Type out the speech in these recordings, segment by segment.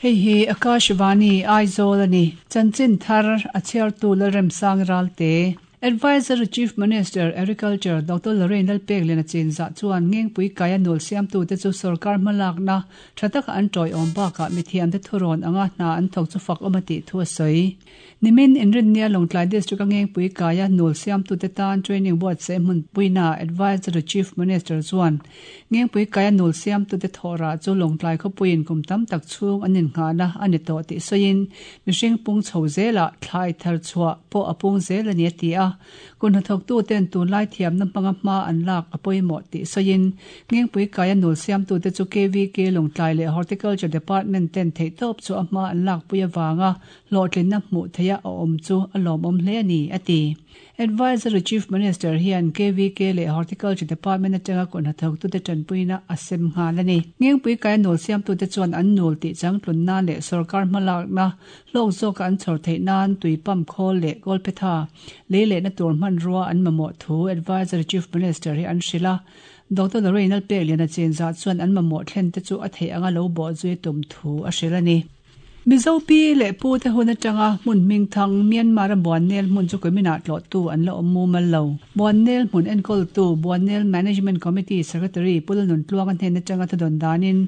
Hei hi Akashvani, Aizawl a ni. Chanchin thar a chhiartu Lalremsang Ralte. Adviser Chief Minister, Agriculture, Doctor Lorraine Lalpekliana chinzah chuan Ngengpui kaia nul siamtute chu sorkar hmalakna tha taka an tawiawm bakah mithiamte thurawn anga hna an thawk chu fak awm a tih thu a sawi. Nimin Inrinnia Lawngtlai District-a Ngengpui kaia nul siamtute tan training buatsaih hmun puina Adviser to Chief Minister chuan Ngengpui kaia nul siamtute thawhrah chu Lawngtlai khawpuiin kum tam tak chhung an innghahna a ni tawh tih sawiin mihring pung chho zelah thlai thar chhuah pawh a pung zel a ni a ti a. Kut hnathawktuten tunlai thiamna hmanga hma an lak a pawimawh tih sawiin Ngengpui kaia nul siamtute chu KVK Lawngtlai leh Horticulture Department ten theihtawp chu a hma an lakpui avanga hlawhtlinna hmuh theiha a awm chu a lawmawm hle a ni, a ti. Advisory Chief Minister hian KVK leh Horticulture Department atanga kut hnathawktute tanpuina a sem nghal a ni. Ngengpui kaia nul siamtute chuan an nul tih changtlun nan leh sorkar hmalakna hlawk zawka an chhawr theih nan tui pump khawl leh kawlphetha lei lehna tur hmanrua an mamawh thu Advisory Chief Minister hi an hrilh a. Doctor Lorraine Lalpekliana chenza chuan an mamawh thlen te chu a theih anga lo bawhzui a tum thu a hrilh a ni. Mizo pi leh pu te hun atanga hmun hming thang Myanmar-a Buannel hmun chu kuminah tlawhtu an la awm mumal lo. Buannel hmun enkawltu Buannel Management Committee Secretary Pu Lalnuntluanga hnen atanga thudawn danin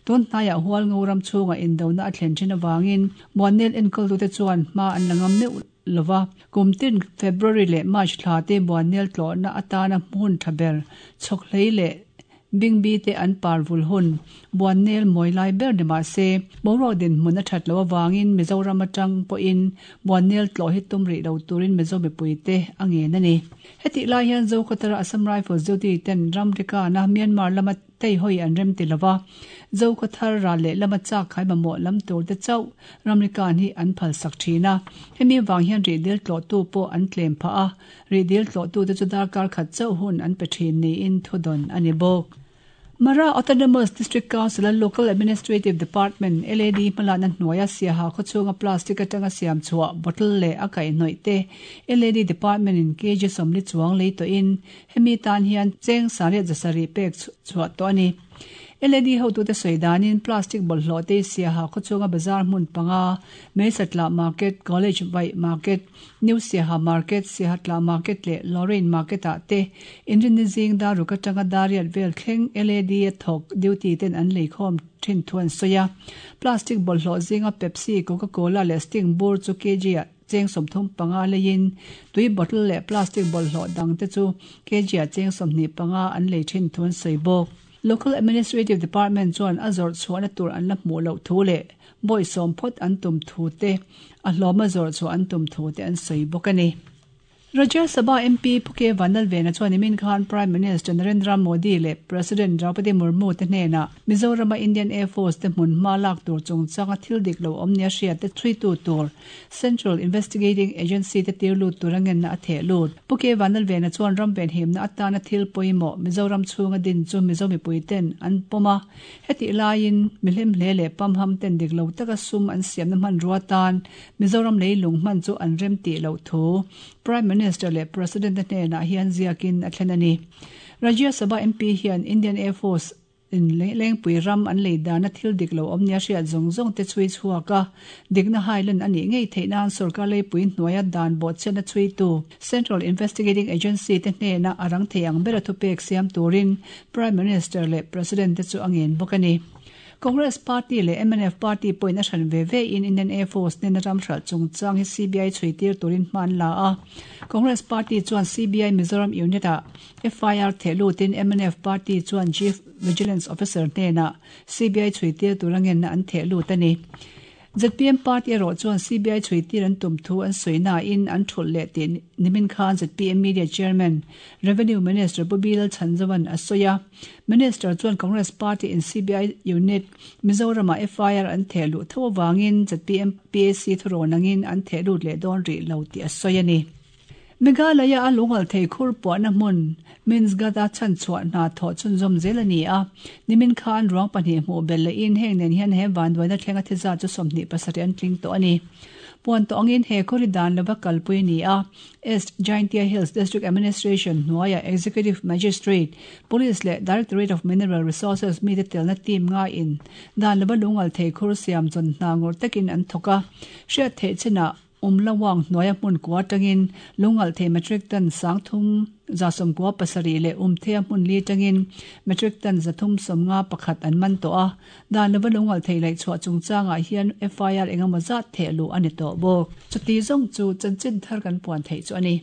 tun hnaiah Hualngo ram chhungah indona a thlen thin avangin Buannel enkawltute chuan hma an la ngam meuh lova. Kum tin February leh March thla te Buannel tlawhna atana hmun tha ber chhawkhlei leh Bingbi te an par vul hun, Buannel mawi lai ber ni mah se, boruak dinhmun a that loh avangin Mizoram atang pawhin Buannel tlawh hi tum rih lo turin Mizo mipuite a ngen a ni. Hetih lai hian Zokhawtara Assam Rifles duty ten ram rikana Myanmar lama teihawi an rem ti lova, Zokhawthar ral leh lama chak khai mamawh lam tur te chauh ramrikan hi an phalsak thin a. Hemi vang hian rihdil tlawhtu pawh an tlem phah a, Rihdil tlawhtute chu darkar khat chauh hun an pe thin niin thudawn a ni bawk. Mara Autonomous District Council-a Local Administrative Department, LAD, hmalakna hnuaia Siaha khawchhunga plastic atanga siam chhuah bottle leh a kaihhnawih te LAD Department-in kg 40 chuang lei tawhin hemi tan hian cheng sariat zasarih pek chhuah tawh a ni. LAD hotute sawi danin plastic bawlhhlawh te Siaha khawchhunga bazar hmun panga, Meisatla Market, College Vaih Market, New Siaha Market, Siahatla Market leh Lorraine Market ah te inrinni zing dar ruk atanga dar riat vel thleng LAD a thawk duty ten an lei khawm thin thu an sawi a. Plastic bawlhhlawh zinga Pepsi, Coca Cola leh Sting bur chu kg ah cheng 35 leiin tui bottle leh plastic bawlhhlawh dang te chu kg ah cheng 25 an lei thin thu an sawi bawk. Local Administrative Department chuan a zawrh chhuahna tur an la hmuh loh thu leh Bawi sawm phawt an tum thu te, a hlawma zawrh chhuah an tum thu te an sawi bawk a ni. Rajya Sabha MP Pu K Vanlalvena chuan nimin khan Prime Minister Narendra Modi leh President Draupadi Murmu te hnenah Mizorama Indian Air Force te hmun hma lak tur chungchanga thil dik lo awm nia hriat te chhuitu tur Central Investigating Agency te tir lut tura ngenna a theh lut. Pu K Vanlalvena chuan ram venhimna atana thil pawimawh Mizoram chhunga din chu Mizo mipui ten an pawm a, Hetih laiin, mihlem hle leh pamham ten dik lo taka sum an siamna hmanrua tan Mizoram leilung hman chu an rem tih loh thu Prime Minister leh President te hnenah hian ziakin a thlen a ni. Rajya Sabha MP hian Indian Air Force in Lengpui ram an lei dana thil dik lo awm nia hriat zawng zawng te chhui chhuak a, dikna hailan a nih ngei theih nan sorkar leipui hnuaia dan bawhchhiatna chhuitu Central Investigating Agency te hnena a rang thei ang bera thupek siam turin Prime Minister leh President te chu a ngen bawk a ni. Congress Party leh mnf Party pawhin a hran ve ve in Indian Air Force nena ram hralh chungchang hi CBI chhui tir turin hma an la a. Congress Party chuan CBI Mizoram Unit ah FIR theh lutin mnf Party chuan Chief Vigilance Officer hnenah CBI chhui tir tura ngenna an theh lut a ni. Zpm party erawh chuan CBI chhui tir an tum thu an sawi nain an thulh leh tih nimin khan zpm Media Chairman, Revenue Minister Pu Bilal Chhanzovan a sawi a. Minister chuan Congress party in CBI unit Mizoramah FIR an theh luh tho avangin zpm PAC thurawn angin an theh lut leh dawn rih lo tih a sawi a ni. Meghalaya a lungal thei khur puahna hmun Minsghat-a chhanchhuah hna thawh chhunzawm zel a ni a. Nimin khan ruang pahnih hmuh belh lehin heng nen hian he vanduaina thlenga thi zat chu 27 an tling tawh a ni. Puan tawh angin he khawri dan lova kalpui a ni a, East Jaintia Hills District Administration hnuaia Executive Magistrate, Police leh Directorate of Mineral Resources mite telna team ngaiin dan lova lungal thei khur siam chawn hna ngawrh takin an thawk a. Hriat theih chinah Umlawang hnuaia hmun kua atangin lungalh thei metric ton 30 97 leh Umthea hmun li atangin metric ton 351 an man tawh a. Dan lova lungalh thei laih chhuah chungchangah hian FIR engemaw zat theh luh a ni tawh bawk. Chuti zawng chu chanchin thar kan puan theih chu a ni.